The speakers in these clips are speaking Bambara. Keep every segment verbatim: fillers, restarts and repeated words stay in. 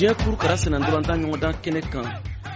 Diɲɛ kurukara senna-ntolantan ɲɔgɔndan kɛnɛ kan,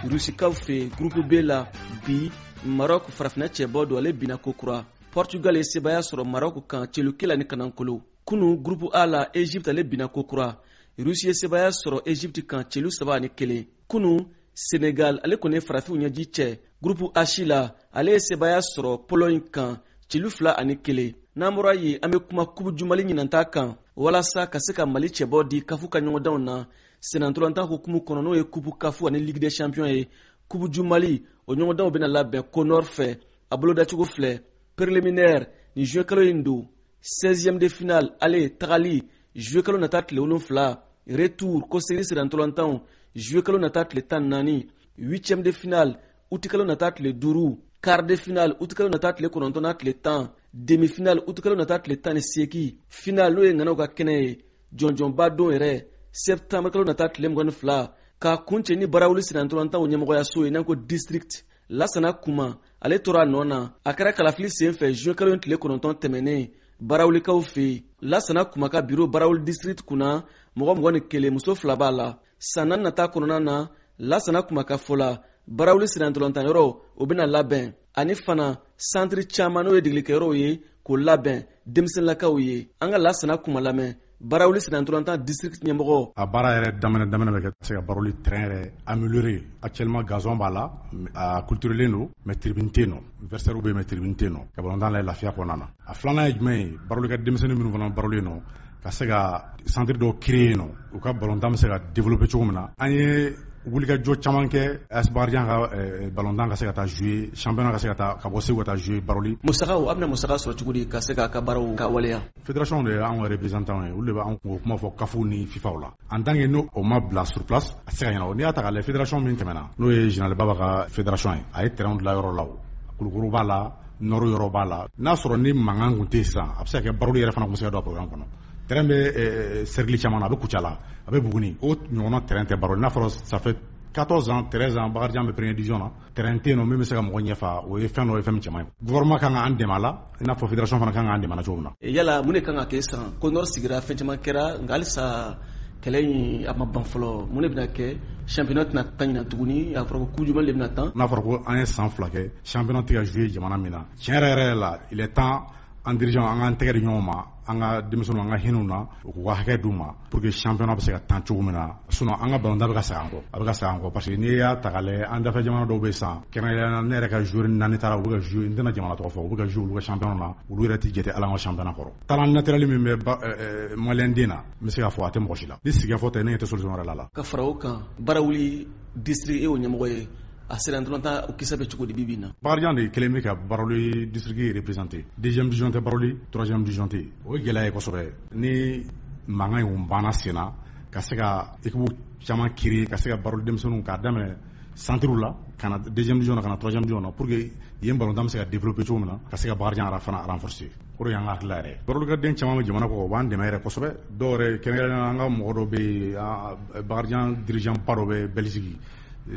Rusikaw fɛ, groupe B la, bi Maroc, farafinna cɛbɔ don, ale binna kokura. Portugal ye sebaya sɔrɔ Maroc kan celukela ni kanankolo. Kunu, groupe A la, Egypte, ale binna kokura. Rusi ye sebaya sɔrɔ Egypte kan celu saba ani kelen. Kunu, Senegal, ale kɔni ye farafinw ɲɛji cɛ groupe H la, ale ye sebaya sɔrɔ Pologne kan celu fila ani kelen. N'an bɔra yen, an bɛ kuma Coupe du Mali ɲinanta kan, walasa ka se ka Mali cɛbɔ di CAF ka ɲɔgɔndanw na sennantolatan hukumu kɔnɔ, n'o ye Coupe CAF ani Ligue des champions ye. Coupe du Mali, o ɲɔgɔndanw bɛna labɛn CONOR fɛ. A bolodacogo filɛ: préliminaire, ni juin kalo in don; seizième de finale ale tagali, juillet kalo nata tile wolonfila; retour, kɔsegin sennantolatanw, juillet kalo nata tile tan naani; huitième de finale, août kalo nata tile duuru; quart de finale, août kalo nata tile kɔnɔntɔn n'a tile tan; demi finale, août kalo nata tile tan ni seegin; finale, n'o ye ŋanaw ka kɛnɛ ye, jɔnjɔnba don yɛrɛ, septembre kalo nata tile mugan ni fila. K'a kuncɛ ni Barawuli sennantolatanw ɲɛmɔgɔyaso ye, n'an ko district, Lasana Kuma, ale tora a nɔ na. A kɛra kalafili sen fɛ juin kalo tile kɔnɔntɔn tɛmɛnen Barawulikaw fɛ yen. Lasana Kuma ka biro Barawuli district kunna, mɔgɔ mugan ni kelen, muso fila b'a la. San naani nata kɔnɔna na, Lasana Kuma ka fɔ la, Barawuli sennantolantanyɔrɔ, o bɛna labɛn, ani fana santiri caman, n'o ye degelikɛyɔrɔw ye, k'o labɛn denmisɛnninlakaw ye. An ka Lasana Kuma lamɛn, Barawuli sennantolatan district ɲɛmɔgɔ. A baara yɛrɛ daminɛ daminɛ bɛ kɛ se ka Barawuli terrain yɛrɛ améliorer. Actuellement, gazon b'a la, a clôturelen don, mais tribune tɛ yen nɔ. Vestiaire bɛ yen, mais tribune tɛ yen nɔ, ka balontan lajɛ lafiya kɔnɔna na. A filanan ye jumɛn ye? Barawuli ka denmisɛnnin minnu fana Barawuli yen nɔ, ka se ka centre dɔw créer yen nɔ, u ka balontan bɛ se ka développer cogo min na. An ye wulikajɔ caman kɛ A S Bakarijan ka balontan ka se ka taa jouer championnat, ka se ka taa ka bɔ Segu ka taa jouer Barawuli. Musakaw, a bɛna musaka sɔrɔ cogo di ka se k'a ka baaraw ka waleya? Fédération de ye anw ka représentant ye, olu de b'an kungo kuma fɔ CAF ni FIFA la. En tant que n'o ma bila sur place, a tɛ se ka ɲɛnabɔ. N'i y'a ta k'a lajɛ, fédération min tɛmɛna, n'o ye général Baba ka fédération ye, a ye terrain dilan yɔrɔ la, o Kulukoro b'a la, Nord yɔrɔ b'a la. N'a sɔrɔ ni mankan kun tɛ yen sisan, a bɛ se ka kɛ Barawuli yɛrɛ fana kun bɛ se ka don a programme kɔnɔ. Terrain bɛ cercle caman na, a bɛ Kucala, a bɛ Buguni, o ɲɔgɔnna terrain tɛ Barawuli. N'a fɔra ça fait quatorze ans, treize ans, Bakarijan bɛ première division na, terrain tɛ yen nɔ min bɛ se ka mɔgɔ ɲɛfa. O ye fɛn dɔ ye, fɛn min cɛ man ɲi. Gouvernement kan k'an dɛmɛ a la, i n'a fɔ fédération fana kan k'an dɛmɛ a la cogo min na. Yala mun de kan ka kɛ sisan? CONOR sigira, fɛn caman kɛra, nka halisa kɛlɛ in a ma ban fɔlɔ. Mun de bɛna kɛ? Championnat tɛna tan ɲina tuguni, a fɔra ko Coupe du Mali de bɛna tan. N'a fɔra ko an ye san fila kɛ championnat tɛ ka jouer jamana min na, tiɲɛ yɛrɛ yɛrɛ la, il est temps an dirigeant, an k'an tɛgɛ di ɲɔgɔn ma, an ka denmisɛnninw, an ka hinɛ u na, u k'u ka hakɛ d'u ma pour que championnat bɛ se ka tan cogo min na. Sinon an ka balontan bɛ ka segin an kɔ, a bɛ ka segin an kɔ, parce que n'i y'a ta k'a lajɛ, an dafɛ jamana dɔw bɛ sisan, kɛrɛnkɛrɛnnenya la ne yɛrɛ ka joueur naani taara, u bɛ ka jouer, n tɛna jamana tɔgɔ fɔ, u bɛ ka jouer olu ka championnat na, olu yɛrɛ tɛ jate hali an ka championnat kɔrɔ. Talent naturel min bɛ malien den na, n bɛ se k'a fɔ a tɛ mɔgɔ si la. Ni sigikafɔ tɛ, ne ɲɛ tɛ solution wɛrɛ la la. Ka fara o kan, Barawuli district, e y'o ɲɛmɔgɔ ye, a sera ntolantan, o kisɛ bɛ cogo di bi bi in na? Bakarijan de kelen bɛ ka Barawuli district représenter. Deuxième division tɛ Barawuli, troisième division tɛ yen. O ye gɛlɛya ye kosɛbɛ. Ni mankan in banna sen na, ka se ka équipe caman créer, ka se ka Barawuli denmisɛnninw k'a daminɛ centre la ka na deuxième division na, ka na troisième division na, pour que yen balontan bɛ se ka développer cogo min na, ka se ka Bakarijan yɛrɛ fana renforcer, o de y'an ka hakilila yɛrɛ ye. Barawuli ka den caman bɛ jamana kɔ, u b'an dɛmɛ yɛrɛ kosɛbɛ. Dɔw yɛrɛ, kɛrɛnkɛrɛnnenya an ka mɔgɔ dɔ bɛ yen, Bakarijan dirigeant ba dɔ bɛ Belgique,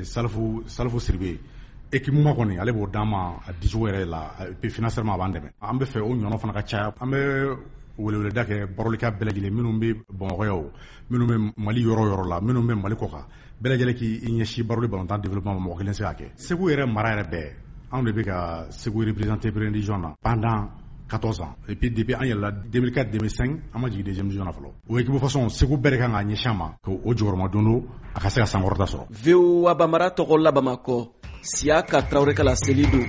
Salifu Salifu Siribe, équipement kɔni ale b'o d'an ma a dicogo yɛrɛ la, et puis financièrement a b'an dɛmɛ. An bɛ fɛ o ɲɔgɔn fana ka caya. An bɛ weleweleda kɛ Barawulika bɛɛ lajɛlen, minnu bɛ Bamakɔ yan o, minnu bɛ Mali yɔrɔ yɔrɔ la, minnu bɛ Mali kɔ kan, bɛɛ lajɛlen k'i ɲɛsin Barawuli balontan développement ma. Mɔgɔ kelen se k'a kɛ. Segu yɛrɛ mara yɛrɛ bɛɛ, anw de bɛ ka Segu représenter première division na pendant quatorze ans, et puis depuis an yɛlɛla deux mille quatre deux mille cinq, an ma jigin deuxième division na fɔlɔ. O équipe façon Segu bɛɛ de kan k'a ɲɛsin a ma, k'o jɔyɔrɔma don don a ka se ka sankɔrɔta sɔrɔ. V O A Bambara tɔgɔ la, Bamakɔ, Siyaka Tarawele ka laseli don.